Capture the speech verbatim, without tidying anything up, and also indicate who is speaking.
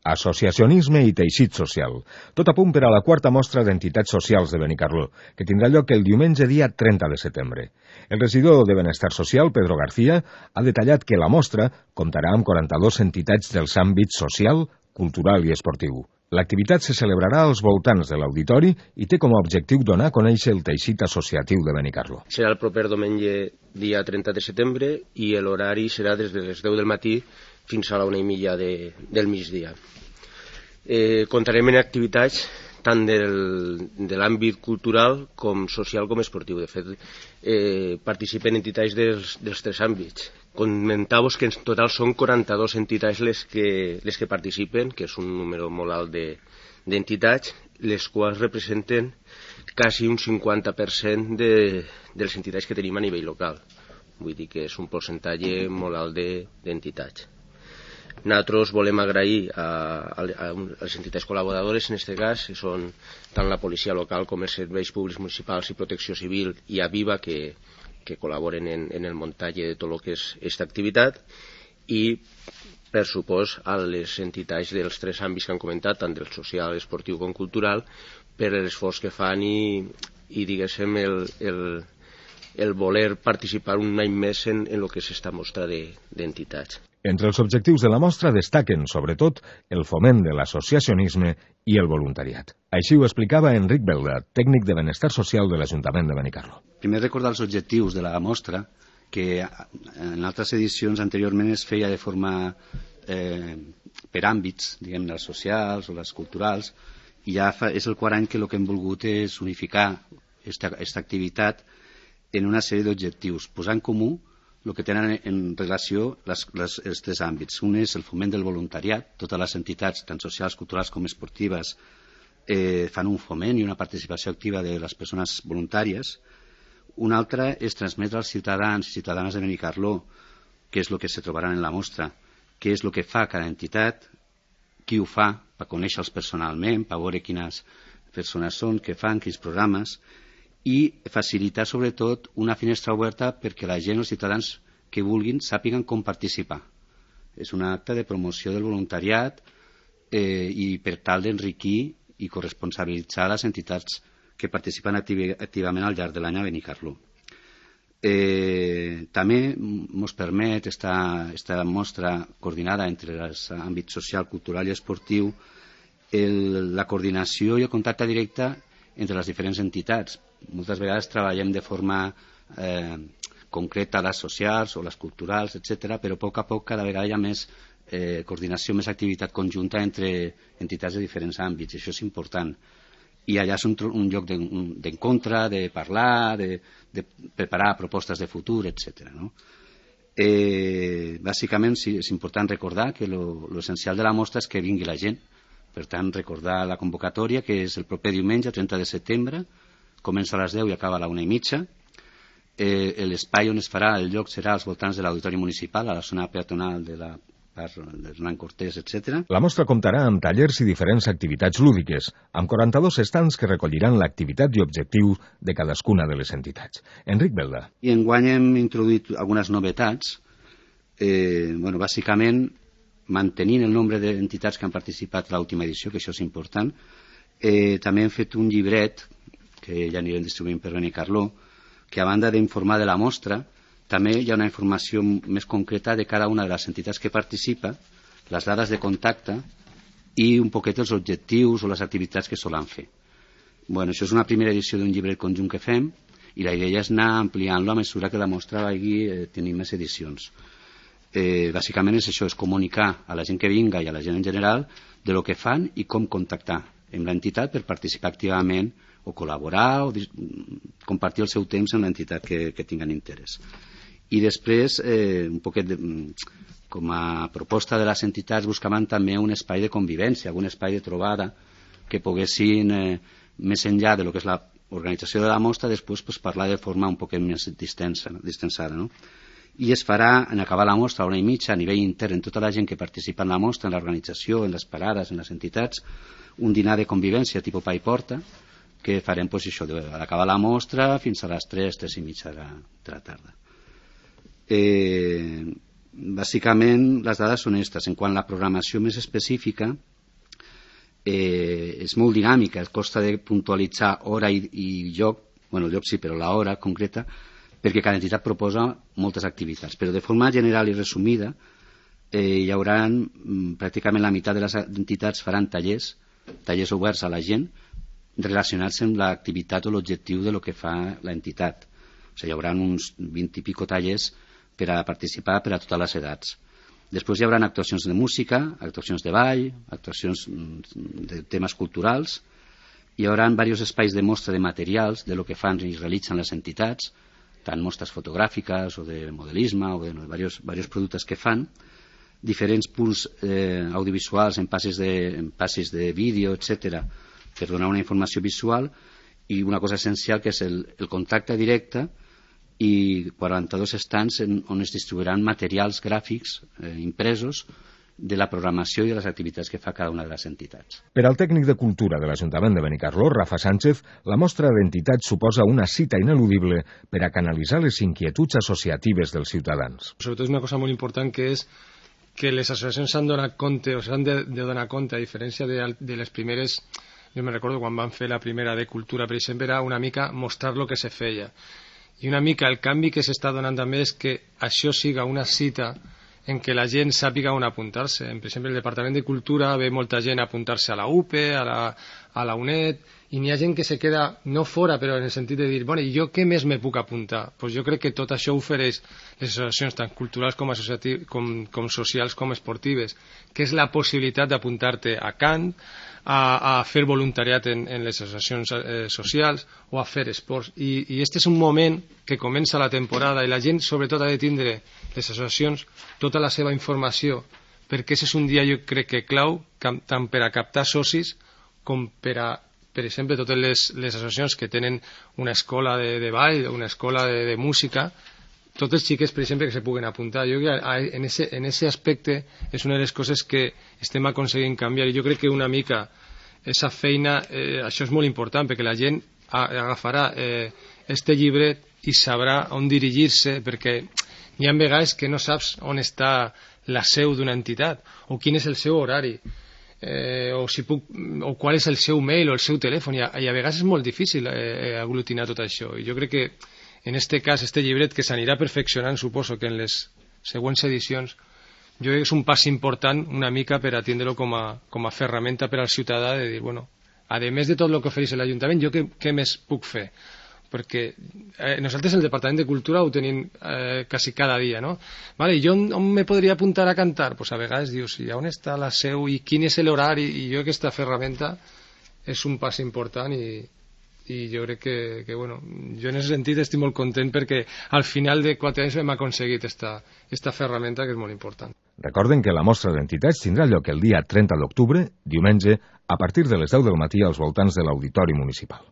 Speaker 1: Associacionisme i teixit social. Tot a punt per a la quarta mostra d'entitats socials de Benicarló, que tindrà lloc el diumenge dia trenta de setembre. El regidor de Benestar Social, Pedro García, ha detallat que la mostra comptarà amb quaranta-dues entitats dels àmbits social, cultural i esportiu. L'activitat se celebrarà als voltants de l'auditori i té com a objectiu donar a conèixer el teixit associatiu de Benicarló.
Speaker 2: Serà el proper diumenge dia trenta de setembre i l'horari serà des de les deu del matí fins a la una i mitja de, del migdia. Eh, comptarem en activitats tant del, de l'àmbit cultural com social com esportiu. De fet, eh, participen entitats dels, dels tres àmbits. Comentar-vos que en total són quaranta-dues entitats les que, les que participen, que és un número molt alt de, d'entitats, les quals representen quasi un cinquanta per cent de, de les entitats que tenim a nivell local. Vull dir que és un percentatge molt alt de, d'entitats. Nosaltres volem agrair a, a, a les entitats col·laboradores, en aquest cas, que són tant la policia local com els serveis públics municipals i protecció civil i Aviva, que, que col·laboren en, en el muntatge de tot el que és aquesta activitat, i, per supòs, a les entitats dels tres àmbits que han comentat, tant del social, esportiu com cultural, per l'esforç que fan i, i diguéssim, el, el, el voler participar un any més en, en el que és aquesta mostra de, d'entitats.
Speaker 1: Entre els objectius de la mostra destaquen, sobretot, el foment de l'associacionisme i el voluntariat. Així ho explicava Enric Belda, tècnic de Benestar Social de l'Ajuntament de Benicarló.
Speaker 3: Primer recordar els objectius de la mostra, que en altres edicions anteriorment es feia de forma eh, per àmbits, diguem, els socials o les culturals, i ja fa, és el quart any que el que hem volgut és unificar aquesta activitat en una sèrie d'objectius, posar en comú el que tenen en relació les, les, els tres àmbits. Un és el foment del voluntariat. Totes les entitats, tant socials, culturals com esportives, eh, fan un foment i una participació activa de les persones voluntàries. Un altre és transmetre als ciutadans i ciutadanes de Benicarló què és el que se trobaran en la mostra, què és el que fa cada entitat, qui ho fa, per conèixer-los personalment, per veure quines persones són, què fan, quins programes, i facilitar sobretot una finestra oberta perquè la gent, els ciutadans que vulguin, sàpiguen com participar. És un acte de promoció del voluntariat eh, i per tal d'enriquir i corresponsabilitzar les entitats que participen activ activament al llarg de l'any a Benicarló. Eh, també ens permet esta, esta mostra coordinada entre els àmbits social, cultural i esportiu el, la coordinació i el contacte directe entre les diferents entitats. Moltes vegades treballem de forma eh, concreta les socials o les culturals, etcètera, però a poc a poc cada vegada hi ha més eh, coordinació, més activitat conjunta entre entitats de diferents àmbits, i això és important. I allà és un, un lloc d'encontre, de parlar, de, de preparar propostes de futur, etcètera. No? Eh, bàsicament sí, és important recordar que l'essencial de la mostra és que vingui la gent. Per tant, recordar la convocatòria, que és el proper diumenge, trenta de setembre, comença a les deu i acaba a la una i mitja. Eh, l'espai on es farà, el lloc serà als voltants de l'auditori municipal, a la zona peatonal de la part d'Hernán Cortés, etcètera.
Speaker 1: La mostra comptarà amb tallers i diferents activitats lúdiques, amb quaranta-dos estants que recolliran l'activitat i objectiu de cadascuna de les entitats. Enric Belda.
Speaker 3: I enguany hem introduït algunes novetats. Eh, bueno, bàsicament, mantenint el nombre d'entitats que han participat a l'última edició, que això és important. Eh, també hem fet un llibret, que ja anirem distribuint per Benicarló, que a banda d'informar de la mostra, també hi ha una informació més concreta de cada una de les entitats que participa, les dades de contacte i un poquet els objectius o les activitats que solen fer. Bueno, això és una primera edició d'un llibret conjunt que fem i la idea és anar ampliant-lo a mesura que la mostra vagi eh, tenint més edicions. Eh, bàsicament és això, és comunicar a la gent que vinga i a la gent en general de lo que fan i com contactar amb l'entitat per participar activament o col·laborar o compartir el seu temps amb l'entitat que, que tinguen interès. I després, eh, un poquet de, com a proposta de les entitats, buscaven també un espai de convivència, un espai de trobada que poguessin, eh, més enllà de lo que és l'organització de la mostra, després pues, parlar de forma un poquet més distensa, distensada, no? I es farà, en acabar la mostra, a una i mitja, a nivell intern, en tota la gent que participa en la mostra, en l'organització, en les parades, en les entitats, un dinar de convivència tipus pa i porta, que farem pues, això, d'acabar la mostra fins a les tres, tres i mitja de la, de la tarda. Eh, bàsicament, les dades són aquestes. En quant a la programació més específica, eh, és molt dinàmica, costa de puntualitzar hora i, i lloc, bueno, lloc sí, però l'hora concreta, perquè cada entitat proposa moltes activitats. Però de forma general i resumida, eh, hi haurà mm, pràcticament la meitat de les entitats faran tallers, tallers oberts a la gent, relacionats amb l'activitat o l'objectiu de lo que fa l'entitat. O sigui, hi haurà uns vint i pico tallers per a participar per a totes les edats. Després hi haurà actuacions de música, actuacions de ball, actuacions de temes culturals. Hi haurà diversos espais de mostra de materials, de lo que fan i realitzen les entitats, tant mostres fotogràfiques o de modelisme o de no, diversos, diversos productes que fan, diferents punts eh, audiovisuals en passes de, en passes de vídeo, etcètera, per donar una informació visual, i una cosa essencial que és el, el contacte directe i quaranta-dos estants en, on es distribuiran materials gràfics eh, impresos de la programació i de les activitats que fa cada una de les entitats.
Speaker 1: Per al tècnic de cultura de l'Ajuntament de Benicarló, Rafa Sánchez, la mostra d'entitats suposa una cita ineludible per a canalitzar les inquietuds associatives dels ciutadans.
Speaker 4: Sobretot és una cosa molt important, que és que les associacions s'han donat compte, o s'han de, de donar compte, a diferència de, de les primeres. Jo me recordo quan van fer la primera de cultura, per exemple, era una mica mostrar el que se feia. I una mica el canvi que s'està donant també és que això siga una cita en què la gent sàpiga on apuntar-se. Per exemple, el Departament de Cultura ve molta gent a apuntar-se a la U P E, a la, a la UNED, i n'hi ha gent que se queda no fora, però en el sentit de dir, bueno, i jo què més me puc apuntar? Pues jo crec que tot això ofereix les associacions tant culturals com, com, com socials com esportives, que és la possibilitat d'apuntar-te a cant, a, a fer voluntariat en, en les associacions eh, socials o a fer esports. I, I este és un moment que comença la temporada i la gent sobretot ha de tindre les associacions tota la seva informació, perquè aquest és un dia jo crec que clau tant per a captar socis com per a, per exemple, totes les, les associacions que tenen una escola de, de ball, una escola de, de música, tots els xiquets, per exemple, que se puguen apuntar. Jo crec que en ese, en ese aspecte és una de les coses que estem aconseguint canviar, i jo crec que una mica esa feina, eh, això és molt important, perquè la gent agafarà eh, este llibre i sabrà on dirigir-se, perquè hi ha vegades que no saps on està la seu d'una entitat, o quin és el seu horari, eh, o, si puc, o qual és el seu mail o el seu telèfon, i a, i a vegades és molt difícil eh, aglutinar tot això. I jo crec que en este cas, este llibret, que s'anirà perfeccionant, suposo que en les següents edicions, jo crec que és un pas important una mica per a tindre-lo com a, com a ferramenta per al ciutadà, de dir, bueno, a més de tot el que ofereix l'Ajuntament, jo què, què més puc fer? Perquè eh, nosaltres el Departament de Cultura ho tenim eh, quasi cada dia, no? Vale, jo on, on me podria apuntar a cantar? Pues a vegades dius, i on està la seu i quin és l'horari? I jo aquesta ferramenta és un pas important i i jo crec que, que bueno, jo en aquest sentit estic molt content perquè al final de quatre anys hem aconseguit esta, esta ferramenta que és molt important.
Speaker 1: Recorden que la mostra d'entitats tindrà lloc el dia trenta d'octubre, diumenge, a partir de les deu del matí als voltants de l'Auditori Municipal.